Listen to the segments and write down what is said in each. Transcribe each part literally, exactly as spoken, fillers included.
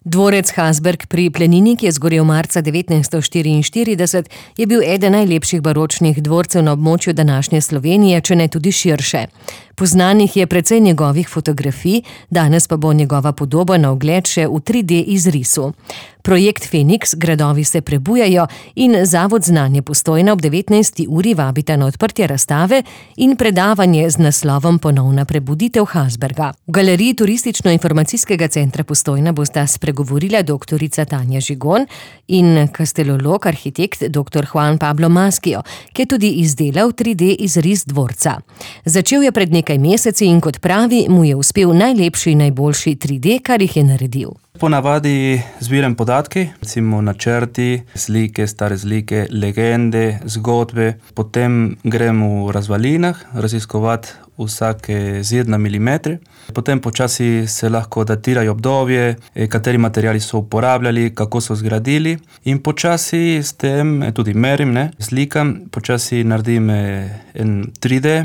Dvorec Hasberg pri Planini, ki je zgorel marca devetnajststo štiriinštirideset, je bil eden najlepših baročnih dvorcev na območju današnje Slovenije, če ne tudi širše. Poznanih je precej njegovih fotografij, danes pa bo njegova podoba na ogled še v tri D izrisu. Projekt Feniks, gradovi se prebujajo, in Zavod Znanje Postojna ob devetnajsti uri vabita na odprtje razstave in predavanje z naslovom Ponovna prebuditev Hasberga. V galeriji Turistično-informacijskega centra Postojna bosta spregovorila doktorica Tanja Žigon in kastelolog, arhitekt doktor Juan Pablo Maschio, ki je tudi izdelal tri D izris dvorca. Začel je pred nekaj meseci in kot pravi, mu je uspel najlepši in najboljši tri D, kar jih je naredil. Ponavadi zbiram podatke, recimo načrti, slike, stare slike, legende, zgodbe. Potem grem v razvalinah raziskovati vsake zid na milimetre. Potem počasi se lahko datirajo obdobje, kateri materiali so uporabljali, kako so zgradili. In počasi s tem tudi merim, ne, slikam, počasi naredim en tri D.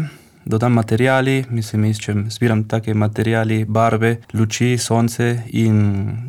Dodam materiali, mislim, iščem, zbiram take materiali, barve, luči, sonce in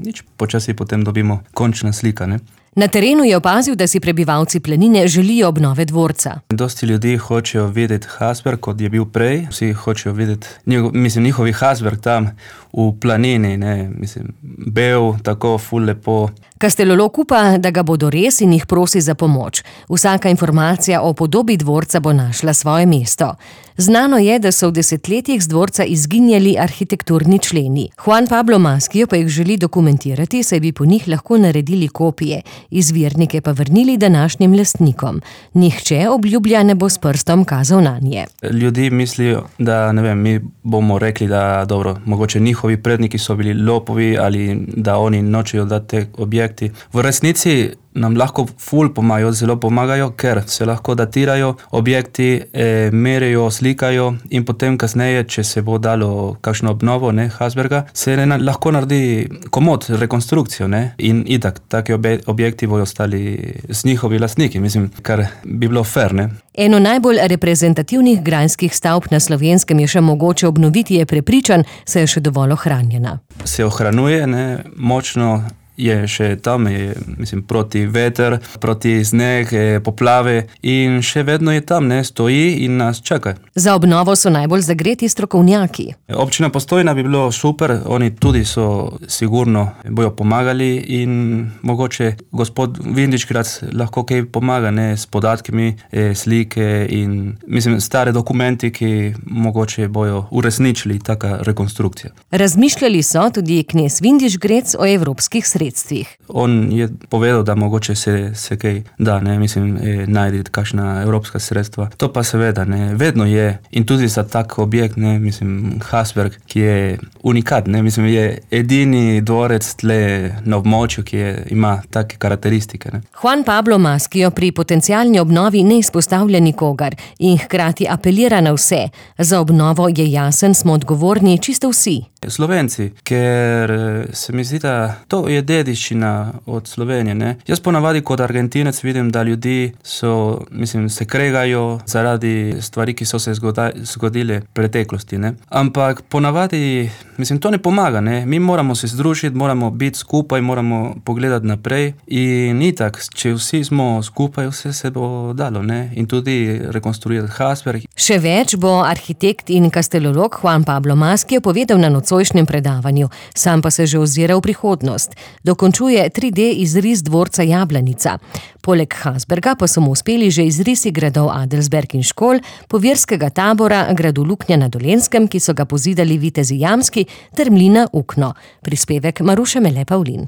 nič, počasi potem dobimo končna slika, ne. Na terenu je opazil, da si prebivalci Planine želijo obnove dvorca. Dosti ljudi hočejo videti Hasberg, kot je bil prej. Vsi hočejo videti, mislim, njihovi Hasberg tam v Planini, ne, mislim, bel, tako ful lepo. Kastelolog upa, da ga bodo res, in jih prosi za pomoč. Vsaka informacija o podobi dvorca bo našla svoje mesto. Znano je, da so v desetletjih z dvorca izginjali arhitekturni členi. Juan Pablo Maschio pa jih želi dokumentirati, saj bi po njih lahko naredili kopije, izvirnike pa vrnili današnjim lastnikom. Nihče, obljublja, ne bo s prstom kazal nanje. Ljudi mislijo, da ne vem, mi bomo rekli, da dobro, mogoče njihovi predniki so bili lopovi ali da oni nočejo dati te objekti. V resnici nam lahko ful pomagajo, zelo pomagajo, ker se lahko datirajo objekti, e, merijo, slikajo in potem kasneje, če se bo dalo kakšno obnovo, ne, Hasberga, se ne, lahko naredi komod, rekonstrukcijo, ne, in itak, taki objekti bojo ostali z njihovi lastniki, mislim, kar bi bilo fair, ne. Eno najbolj reprezentativnih grajskih stavb na Slovenskem je še mogoče obnoviti, je prepričan, saj je še dovolj ohranjena. Se ohranjuje, ne, močno. Je še tam, je, mislim, proti veter, proti sneg, poplave in še vedno je tam, ne, stoji in nas čaka. Za obnovo so najbolj zagreti strokovnjaki. Občina Postojna bi bilo super, oni tudi so sigurno bojo pomagali in mogoče gospod Vindiškrat lahko kaj pomaga, ne, s podatkami, slike in, mislim, stare dokumenti, ki mogoče bojo uresničili taka rekonstrukcija. Razmišljali so tudi knez Vindišgrec o evropskih sredstvih. On je povedal, da mogoče se, se kaj da, ne, mislim, najti kakšna evropska sredstva. To pa seveda, ne, vedno je. In tudi za tak objekt, ne, mislim, Hasberg, ki je unikat, ne, mislim, je edini dvorec tle na območju, ki je, ima take karakteristike, ne. Juan Pablo Maschio pri potencialni obnovi ne izpostavlja nikogar in hkrati apelira na vse. Za obnovo je jasen, smo odgovorni čisto vsi. Slovenci, ker se mi zdi, da to je dediščina od Slovenije, ne. Jaz ponavadi kot Argentinec vidim, da ljudi so, mislim, se kregajo zaradi stvari, ki so se zgodile v preteklosti, ne. Ampak ponavadi, mislim, to ne pomaga, ne. Mi moramo se združiti, moramo biti skupaj, moramo pogledati naprej in itak, če vsi smo skupaj, vse se bo dalo, ne. In tudi rekonstruirati Hasberg. Še več bo arhitekt in kastelolog Juan Pablo Maschio povedal na nocojšnjem predavanju, sam pa se že ozira v prihodnost. Dokončuje tri D izris dvorca Jablanica. Poleg Hasberga pa so mu uspeli že izrisi gradov Adelsberg in Škol, povirskega tabora, gradu Luknja na Dolenjskem, ki so ga pozidali vitezi Jamski, ter mlina Ukno. Prispevek Maruše Mele Pavlin.